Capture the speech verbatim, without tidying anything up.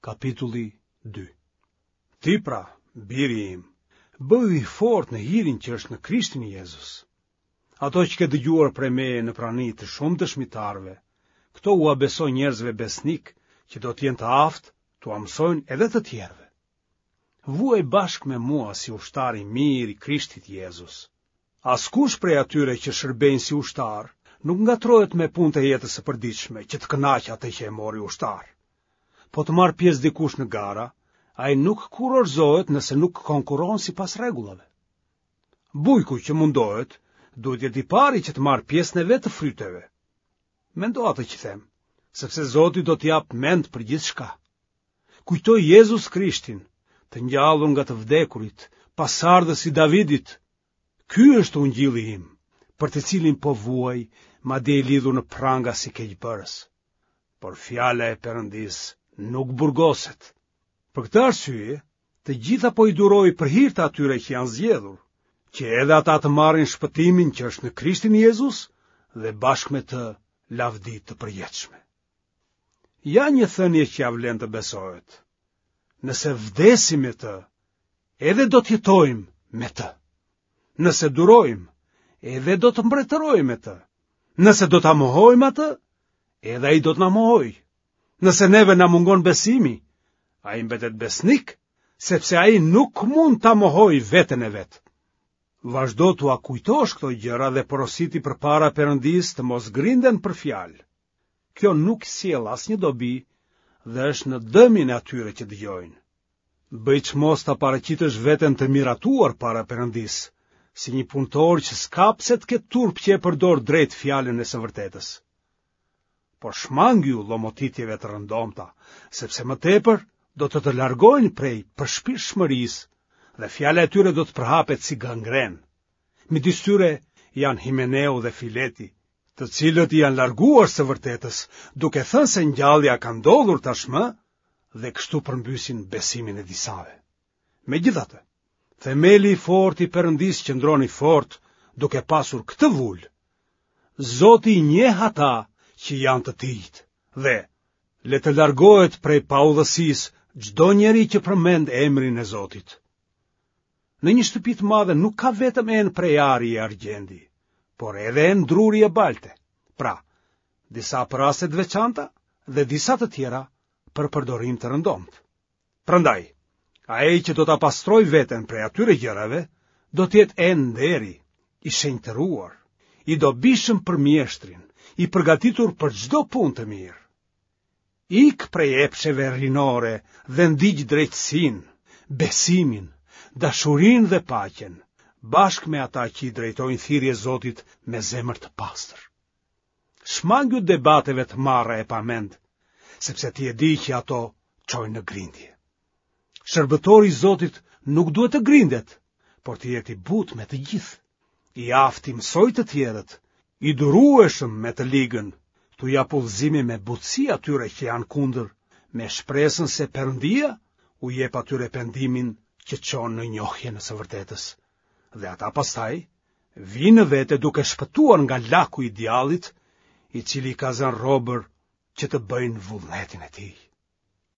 Kapitulli dy. Ti pra, biri im, bëhu i fortë në hirin që është në Krishtin Jezus. Ato që ke dëgjuar prej meje në prani të shumë dëshmitarëve, këto ua beso njerëzve besnikë që do të jenë të aftë t'ua mësojnë edhe të tjerëve. Vuaj bashkë me mua si ushtar i mirë i Krishtit Jezus. Askush prej atyre që shërbejnë si ushtarë nuk ngatërrohet me punët e jetës së përditshme që të kënaqë atë që e mori ushtar. Po të marrë pjesë dikush në gara, ai nuk kurorëzohet nëse nuk konkurron sipas rregullave. Bujku që mundohet, duhet të jetë i pari që të marrë pjesën e vet të fryteve. Mendo atë që them, sepse Zoti do të japë mend për gjithçka. Kujto Jezus Krishtin, të ngjallur nga të vdekurit, pasardhës i Davidit. Ky është ungjilli im, për të cilin po vuaj, madje i lidhur në pranga si keqbërës. Por fjala e Perëndisë nuk burgoset. Për këtë arsye, të gjitha po i duroj për hir të atyre që janë zgjedhur, që edhe ata të marrin shpëtimin që është në Krishtin Jezus dhe bashkë me të lavdi të përjetshme. Ja një thënie që ia vlen të besohet. Nëse vdesim me të, edhe do të jetojmë me të. Nëse durojmë, edhe do të mbretërojmë me të. Nëse do ta mohojmë atë, edhe ai do të na mohojë. Nëse neve na mungon besimi, ai mbetet besnik, sepse ai nuk mund ta mohojë veten e vet. Vazhdo t'ua kujtosh këto gjëra dhe porositi përpara Perëndisë të mos grinden për fjalë. Kjo nuk sjell asnjë dobi dhe është në dëmin e atyre që dëgjojnë. Bëj çmos ta paraqitësh veten të miratuar para Perëndisë, si një punëtor që s'ka pse të ketë turp që e përdor drejt fjalën e së vërtetës. Por shmangju llomotitjeve të rëndomta, sepse më tepër do të të largojnë prej përshpirtshmërisë dhe fjala e tyre do të përhapet si gangrenë. Midis tyre janë Himeneu dhe Fileti, të cilët i janë larguar së vërtetës, duke thënë se ngjallja ka ndodhur tashmë dhe kështu përmbysin besimin e disave. Megjithatë, themeli i fortë i Perëndisë qëndron i fortë duke pasur këtë vulë. Zoti i njeh ata që janë të tijtë dhe le të largohet prej paudhësisë çdo njeri që përmend emrin e Zotit. Në një shtëpi të madhe nuk ka vetëm enë prej ari e argjendi, por edhe enë druri e balte. Pra, disa për raste të veçanta dhe disa të tjera për përdorim të rëndomtë. Prandaj, ai që do ta pastrojë veten prej atyre gjërave, do të jetë enë nderi, i shenjtëruar, i dobishëm për mjeshtrin, i përgatitur për çdo punë të mirë. Ik prej epsheve rinore dhe ndiq drejtësinë, besimin, dashurinë dhe paqen, bashkë me ata që i drejtojnë thirrje Zotit me zemër të pastër. Shmangju debateve të marra e pa mend, sepse ti e di që ato çojnë në grindje. Shërbëtori i Zotit nuk duhet të grindet, por të jetë i butë me të gjithë, i aftë t'i mësojë të tjerët, i durueshëm me të ligën, t'u japë udhëzime me butësi atyre që janë kundër, me shpresën se Perëndia u jep atyre pendimin që çon në njohjen e së vërtetës. Dhe ata pastaj vijnë në vete duke shpëtuar nga laku i djallit, i cili i ka zënë robër që të bëjnë vullnetin e tij.